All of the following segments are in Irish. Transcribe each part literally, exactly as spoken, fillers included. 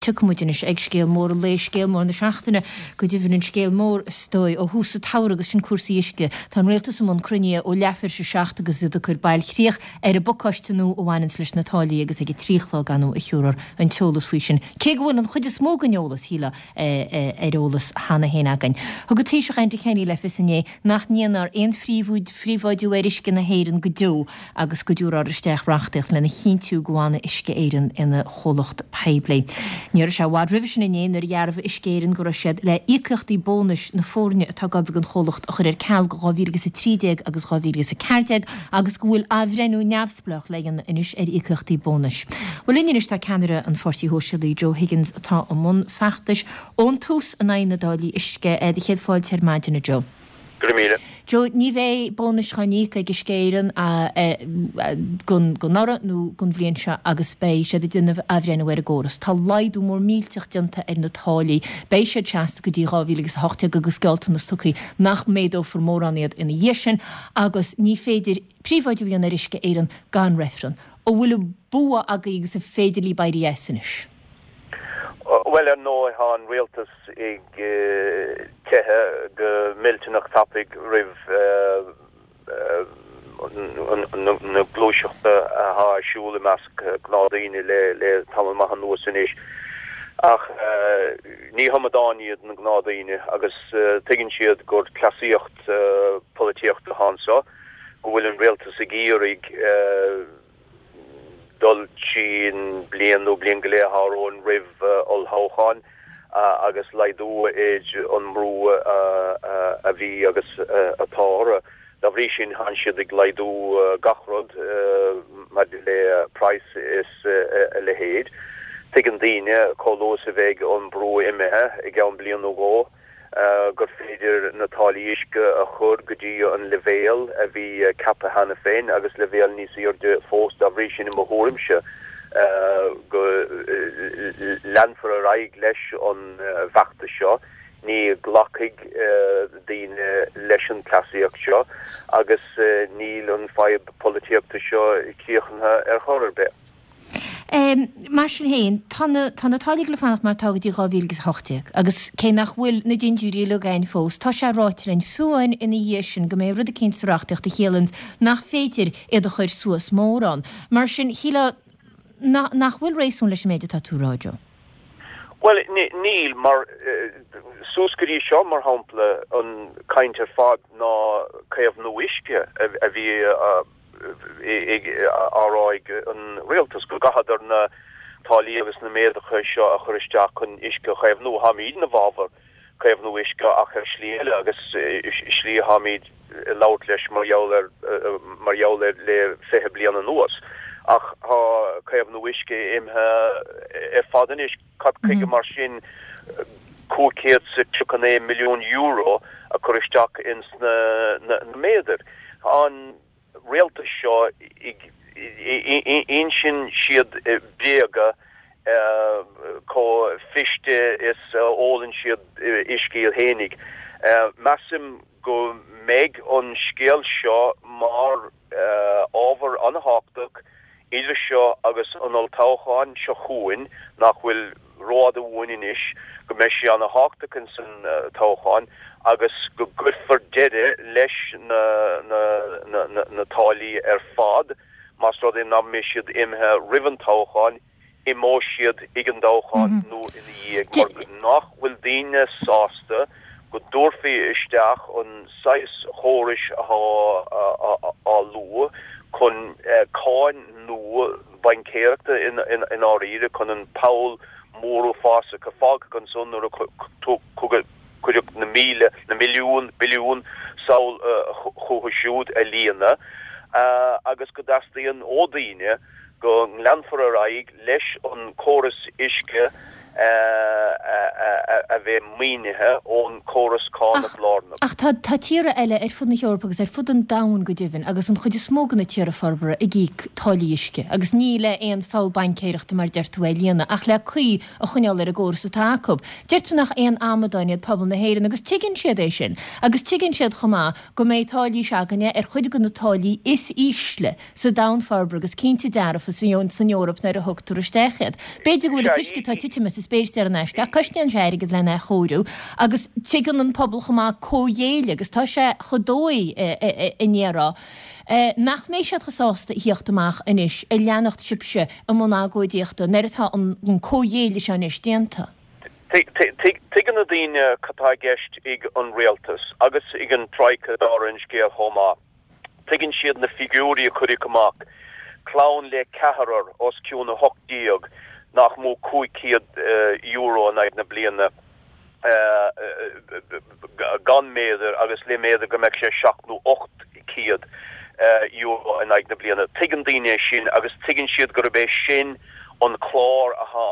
Tiocfaidh muid anois ag scéal mór an lae, scéal mór na seachtaine, go deimhin an scéal mór is dóigh ó thús an tsamhraidh agus sin cúrsaí uisce. Tá an Rialtas i mbun cruinnithe ó leathuair tar éis a seacht agus iad ag cur bailchríoch ar an bpacáiste nua a bhaineanns leis na táillí agus ag a trí a chlog ar ndóigh a thiúrfar an t-eolas faoi sin. Cé go bhfuil an chuid is mó den eolas, shílfeá, ar eolas cheana féin againn. Thug an Taoiseach Enda Kenny le fios inné nach ndéanfar aon phríobháidiú ar uisce na hÉireann go deo agus go dtabharfar isteach reachtaíocht lena chinntiú go bhfanfaidh Uisce Éireann ina chomhlacht poiblí. Ní raibh sé i bhfad roimhe sin inné nuair a dhearbhaigh Uisce Éireann go raibh siad le íocaíochtaí bónais na foirne atá ag obair don chomhlacht a chur ar ceal go dhá mhíle agus a trí déag agus dhá mhíle agus a ceathair déag agus go bhfuil athbhreithniú neamhspleách le dhéanamh anois ar íocaíochtaí bónais. Bhuel linn anois tá ceannaire an Pháirtí Shóisialaigh Joe Higgins atá i mbun feachtais ón tús in aghaidh na dtáillí uisce. Do chéad fáilte ar maidin a Joe. Go raibh míle. Joe, ní bheidh bónais á n-íoc ag Uisce Éireann don anuraidh nó don bhliain seo agus beidh siad ag déanamh athbhreithniú ar an gcóras. Tá laghdú mór millteach déanta ar na táillí. Beidh siad seasta go dtí dhá mhíle agus a hocht déag agus gealltanas tugtha nach méadófar mórán iad ina dhiaidh sin agus ní féidir príobháidiú a dhéanamh ar Uisce Éireann gan reifreann. An bhfuil an bua agaibh agus an féidir libh éirí as anois? Bhuel, ar ndóigh, tá an rialtas ag teitheadh go millteanach tapaidh roimh na gluaiseachta atá ar siúl i measc gnáthdhaoine le tamall maith anuas anois. Ach ní hamadáin iad na gnáthdhaoine agus tuigeann siad gur cleasaíocht polaitíochta atá anseo, go bhfuil an rialtas ag iarraidh dul trín bliain nó bliain go leith atá romhainn roimh olltoghchán agus laghdú ar an mbrú a bhí agus atá orthu. Dá bhrí sin, tánn siad ag laghdú gach rud maidir le praghas is a leithéid. Tuigeann daoine, chomh luath is a bheidh an brú imithe i gceann bliain nó dhó, gur féidir na táillí uisce a chur go dtí an leibhéal a bhí ceaptha cheana féin agus leibhéal níos airde fós. Dá bhrí sin, i mo thuairimse, go leanfar ar aghaidh leis an bhfeachtas seo. Ní ghlacfaidh daoine leis an chleasaíocht seo agus níl an fadhb polaitíochta seo críochnaithe ar chor ar bith. Mar sin féin, tá na tá na táillí le fanacht mar atá go dtí dhá mhíle agus a hocht déag agus cé nach bhfuil na dintiúirí uilig againn fós, tá sé ráite linn fiú amháin ina dhiaidh sin go mbeidh rud eicínt sa reachtaíocht a chiallaíonn nach féidir iad a chur suas mórán. Mar sin, shílfeá nach bhfuil réasún leis an méid atá tú a rá, Joe. Bhuel, níl, mar suas go dtí seo, mar shampla, an chaint ar fad ná caomhnú uisce a bhí á rá ag an rialtas go gcaithfeadar na táillí agus na méaduithe seo a chur isteach chun uisce a chaomhnú. Táimid ina bhfabhar caomhnú uisce ach ar shlí eile agus slí atáimid ag labhairt leis mar gheall ar mar gheall air le fiche bliain anuas. Ach tá caomhnú uisce imithe ar fad anois. Cad chuige mar sin cúig chéad is tríocha naoi milliún euro a chur isteach ins na méadair? An rialtas seo ag insint siad bréaga chomh fuiste is a ólann siad uisce iad fhéinig. Measaim go mbeidh an scéal seo mar ábhar an-thábhachtach idir seo agus an olltoghchán seo chugainn, nach bhfuil rófhada uainn anois, go mbeidh sé an-thábhachtach ins an toghchán agus go gcuirfear deireadh leis na na táillí ar fad, más rud é nach mbeidh siad imithe roimh an toghchán, imeoidh siad ag an dtoghchán nó ina dhiaidh, mar nach bhfuil daoine sásta go dtabharfaí isteach an saghas chórais atá á lua chun cáin nua baincéireachta i ndáiríre, chun an poll mór uafásach a fágadh ansan nuair a cuireadh na míle, na milliún, billiún sall chucu siúd a líonadh agus go dteastaíonn ó daoine go leanfar ar aghaidh leis an córas uisce a bheith maoinithe ón córas cánach lárnach. Ach tá tá tíortha eile ar fud na hEorpa agus ar fud an domhain go deimhin agus an chuid is mó de na tíortha forbartha ag íoc táillí uisce agus ní le aon pholl baincéireachta mar deir tú é a líonadh ach le caoi a choinneáil ar an gcóras atá acu. Deir tú nach aon amadáin iad pobal na hÉireann agus tuigeann siad é sin agus tuigeann siad chomh maith go mbeidh táillí s'againne ar chuid de na táillí is ísle sa domhan forbartha agus cinnte dearfa san Eoraip nuair a thugtar isteach iad. B'fhéidir go bhfuil an t-uisce atá ag titim as an spéir saor in aisce ach cosnaíonn sé airgead lena chóiriú agus tuigeann an pobal chomh maith comhghéilleadh agus tá sé chomh dóigh i ndéarfá nach mbeidh siad chomh sásta a thíocht amach anois ag leanacht sibhse i mbun agóidíochta nuair atá an comhghéilleadh seo anois déanta. Tuigeann na daoine cad tá i gceist ag an rialtas agus ag an Troika dála an scéil chomh maith. Tuigeann siad na figiúirí a cuireadh amach, clann le ceathrar os cionn a hocht déag nach mó cúig chéad euro in aghaidh na bliana gan méadar agus le méadar go mbeadh sé seacht nó ocht céad euro in aghaidh na bliana. Tuigeann daoine é sin agus tuigeann siad gurb é sin an clár atá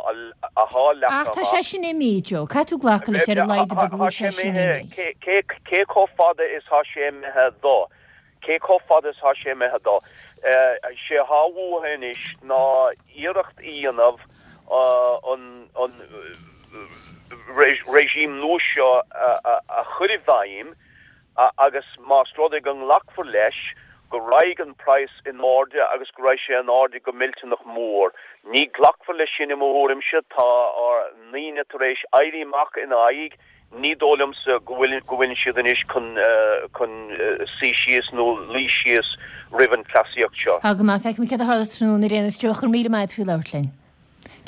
leagtha amach. Ach tá sé sin imithe, Joe. Caithfidh tú glacadh leis ar a laghad go bhfuil sé sin imithe. Cé chomh fada is thá sé imithe dó? Cé chomh fada is thá sé imithe dó? Sé thá uathu anois ná iarracht a dhéanamh an regime nua seo a chur i bhfeidhm agus más rud é go nglacfar leis go raghaidh an praghas in airde agus go raghaidh sé in airde go millteanach mór. Ní ghlacfar leis sin i mo thuairimse, tá ár ndaoine tar éis éirí amach ina aghaidh, ní dóigh liomsa go bhfuil go bhfuil siad anois chun chun suí síos nó luí síos roimh an chleasaíocht seo. Tá go maith, feicfimid céard a tharlós tráthnóna ar aon nós. Joe, go raibh míle maith agat faoi labhairt linn.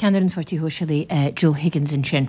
Ceannaire an Pháirtí Shóisialaigh Joe Higgins ansin.